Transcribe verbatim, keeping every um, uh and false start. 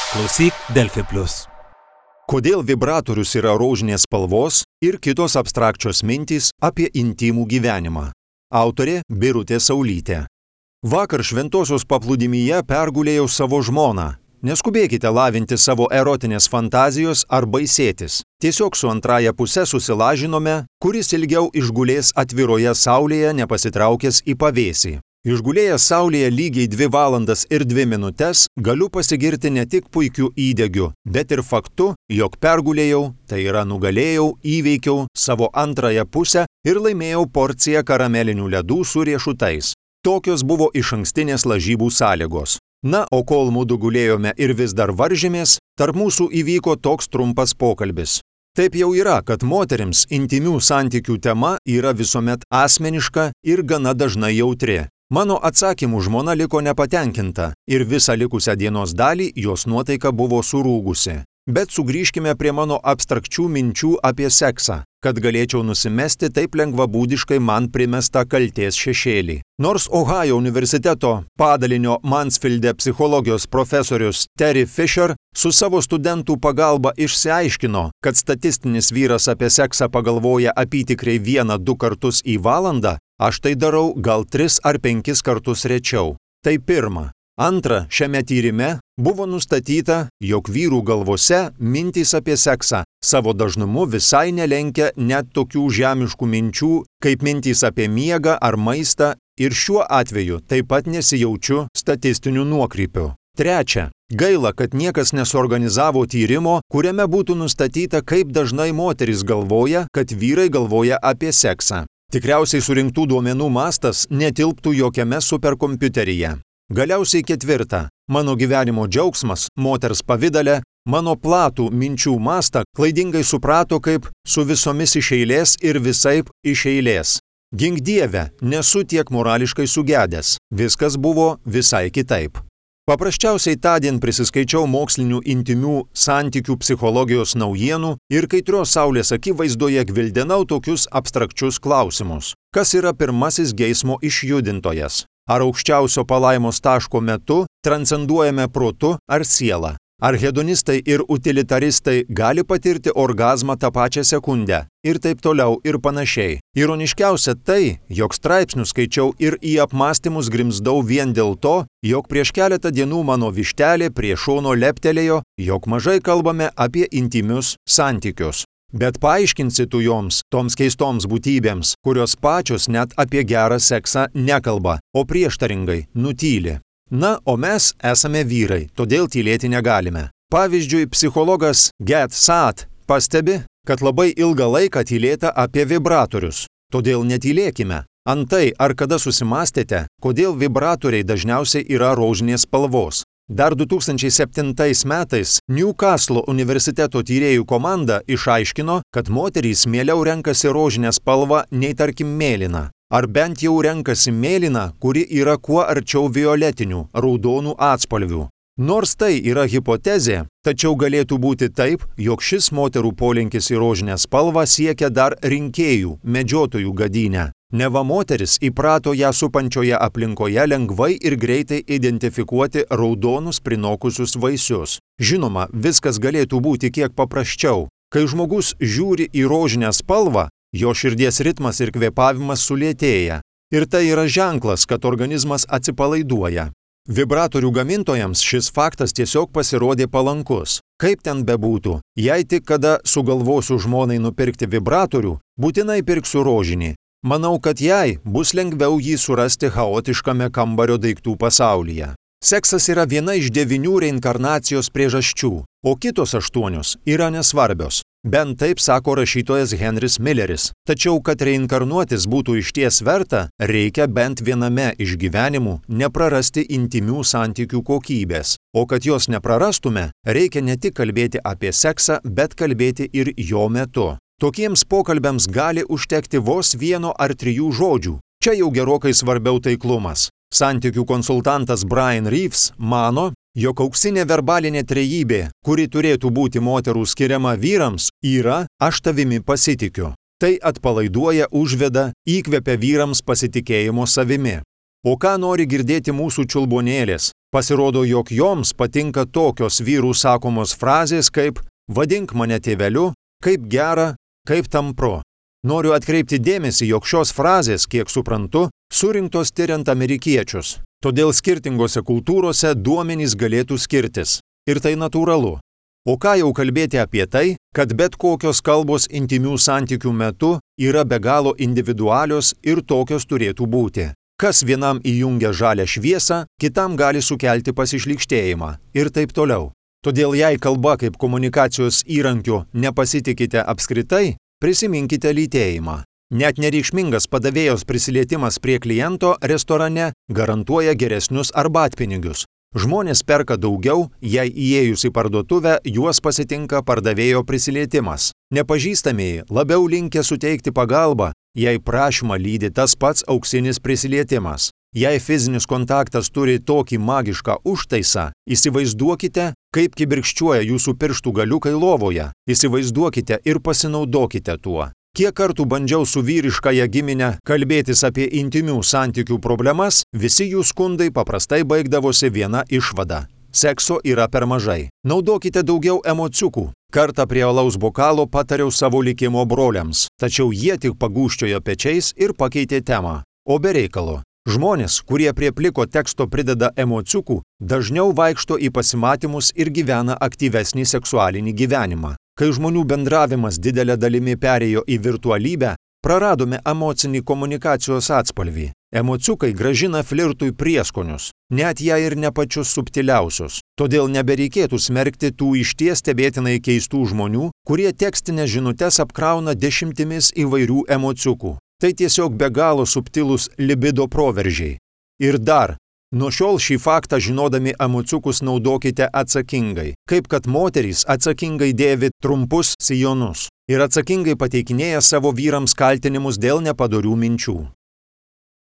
Klausyk Delfi plius. Kodėl vibratorius yra rožinės spalvos ir kitos abstrakčios mintys apie intimų gyvenimą. Autorė Birutė Saulytė. Vakar šventosios paplūdimyje pergulėjau savo žmoną. Neskubėkite lavinti savo erotinės fantazijos ar baisėtis. Tiesiog su antraja puse susilažinome, kuris ilgiau išgulės atviroje saulėje nepasitraukęs į pavėsį. Išgulėjęs saulėje lygiai dvi valandas ir dvi minutes, galiu pasigirti ne tik puikiu įdegiu, bet ir faktu, jog pergulėjau, tai yra nugalėjau, įveikiau savo antrąją pusę ir laimėjau porciją karamelinių ledų su riešutais. Tokios buvo išankstinės lažybų sąlygos. Na, o kol mudu gulėjome ir vis dar varžėmės, tarp mūsų įvyko toks trumpas pokalbis. Taip jau yra, kad moterims intimių santykių tema yra visuomet asmeniška ir gana dažnai jautri. Mano atsakymų žmona liko nepatenkinta ir visą likusią dienos dalį jos nuotaika buvo surūgusi. Bet sugrįžkime prie mano abstrakčių minčių apie seksą, kad galėčiau nusimesti taip lengvabūdiškai man primestą kaltės šešėlį. Nors Ohajo universiteto padalinio Mansfilde psichologijos profesorius Terry Fisher su savo studentų pagalba išsiaiškino, kad statistinis vyras apie seksą pagalvoja apytikriai vieną du kartus į valandą, aš tai darau gal tris ar penkis kartus rečiau. Tai pirma. Antra, šiame tyrime buvo nustatyta, jog vyrų galvose mintys apie seksą savo dažnumu visai nelenkia net tokių žemiškų minčių, kaip mintys apie miegą ar maistą, ir šiuo atveju taip pat nesijaučiu statistinių nuokrypių. Trečia, gaila, kad niekas nesuorganizavo tyrimo, kuriame būtų nustatyta, kaip dažnai moterys galvoja, kad vyrai galvoja apie seksą. Tikriausiai surinktų duomenų mastas netilptų jokiame superkompiuteryje. Galiausiai ketvirta, mano gyvenimo džiaugsmas, moters pavidale, mano platų minčių mastą klaidingai suprato kaip su visomis iš eilės ir visaip iš eilės. Gink Dieve, nesu tiek morališkai sugedęs, viskas buvo visai kitaip. Paprasčiausiai tądien prisiskaičiau mokslinių intimių santykių psichologijos naujienų ir kaitrios saulės akivaizdoje gvildenau tokius abstrakčius klausimus. Kas yra pirmasis geismo išjudintojas? Ar aukščiausio palaimos taško metu transcenduojame protu ar sielą? Ar hedonistai ir utilitaristai gali patirti orgazmą tą pačią sekundę? Ir taip toliau ir panašiai. Ironiškiausia tai, jog straipsnių skaičiau ir į apmąstymus grimzdau vien dėl to, jog prieš keletą dienų mano vištelė prie šono leptelėjo, jog mažai kalbame apie intimius santykius. Bet paaiškinsi tu joms, toms keistoms būtybėms, kurios pačios net apie gerą seksą nekalba, o prieštaringai nutyli. Na, o mes esame vyrai, todėl tylėti negalime. Pavyzdžiui, psichologas Gad Saad pastebi, kad labai ilgą laiką tylėta apie vibratorius. Todėl netylėkime. Antai, ar kada susimastėte, kodėl vibratoriai dažniausiai yra rožinės spalvos? Dar du tūkstančiai septintais metais Newcastle universiteto tyrėjų komanda išaiškino, kad moterys mieliau renkasi rožinę spalvą nei tarkim mėlyną. Ar bent jau renkasi mėlyną, kuri yra kuo arčiau violetinių, raudonų atspalvių. Nors tai yra hipotezė, tačiau galėtų būti taip, jog šis moterų polinkis į rožinę spalvą siekia dar rinkėjų, medžiotojų gadynę. Neva moteris įprato ją supančioje aplinkoje lengvai ir greitai identifikuoti raudonus prinokusius vaisius. Žinoma, viskas galėtų būti kiek paprasčiau. Kai žmogus žiūri į rožinę spalvą, jo širdies ritmas ir kvėpavimas sulėtėja. Ir tai yra ženklas, kad organizmas atsipalaiduoja. Vibratorių gamintojams šis faktas tiesiog pasirodė palankus. Kaip ten bebūtų, jei tik kada sugalvosiu žmonai nupirkti vibratorių, būtinai pirksiu rožinį. Manau, kad jai bus lengviau jį surasti chaotiškame kambario daiktų pasaulyje. Seksas yra viena iš devynių reinkarnacijos priežasčių, o kitos aštuonios yra nesvarbios. Bent taip sako rašytojas Henris Milleris. Tačiau, kad reinkarnuotis būtų išties verta, reikia bent viename iš gyvenimų neprarasti intimių santykių kokybės. O kad jos neprarastume, reikia ne tik kalbėti apie seksą, bet kalbėti ir jo metu. Tokiems pokalbiams gali užtekti vos vieno ar trijų žodžių. Čia jau gerokai svarbiau taiklumas. Santykių konsultantas Brian Reeves mano, jog auksinė verbalinė trejybė, kuri turėtų būti moterų skiriama vyrams, yra aš tavimi pasitikiu. Tai atpalaiduoja, užveda, įkvepia vyrams pasitikėjimo savimi. O ką nori girdėti mūsų čiulbonėlės? Pasirodo, jog joms patinka tokios vyrų sakomos frazės kaip vadink mane tėveliu, kaip gera, kaip tampro. Noriu atkreipti dėmesį, jog šios frazės, kiek suprantu, surinktos tyriant amerikiečius. Todėl skirtingose kultūrose duomenys galėtų skirtis. Ir tai natūralu. O ką jau kalbėti apie tai, kad bet kokios kalbos intymių santykių metu yra be galo individualios ir tokios turėtų būti. Kas vienam įjungia žalią šviesą, kitam gali sukelti pasišlykštėjimą ir taip toliau. Todėl jei kalba kaip komunikacijos įrankiu nepasitikite apskritai, prisiminkite lytėjimą. Net nereikšmingas padavėjos prisilietimas prie kliento restorane garantuoja geresnius arbatpinigius. Žmonės perka daugiau, jei įėjus į parduotuvę juos pasitinka pardavėjo prisilietimas. Nepažįstamieji labiau linkę suteikti pagalbą, jei prašymą lydi tas pats auksinis prisilietimas. Jei fizinis kontaktas turi tokį magišką užtaisą, įsivaizduokite, kaip kibirkščiuoja jūsų pirštų galiukai lovoje. Įsivaizduokite ir pasinaudokite tuo. Kiek kartų bandžiau su vyriškąja gimine kalbėtis apie intymių santykių problemas, visi jų skundai paprastai baigdavosi viena išvada. Sekso yra per mažai. Naudokite daugiau emociukų. Kartą prie alaus bokalo patariau savo likimo broliams, tačiau jie tik pagūžčiojo pečiais ir pakeitė temą. O be reikalo. Žmonės, kurie prie pliko teksto prideda emociukų, dažniau vaikšto į pasimatymus ir gyvena aktyvesnį seksualinį gyvenimą. Kai žmonių bendravimas didelė dalimi perėjo į virtualybę, praradome emocinį komunikacijos atspalvį. Emociukai grąžina flirtui prieskonius, net jei ir ne pačius subtiliausius. Todėl nebereikėtų smerkti tų išties stebėtinai keistų žmonių, kurie tekstinės žinutes apkrauna dešimtimis įvairių emociukų. Tai tiesiog be galo subtilūs libido proveržiai. Ir dar, nuo šiol šį faktą žinodami emociukus naudokite atsakingai, kaip kad moterys atsakingai dėvi trumpus sijonus ir atsakingai pateikinėja savo vyrams kaltinimus dėl nepadorių minčių.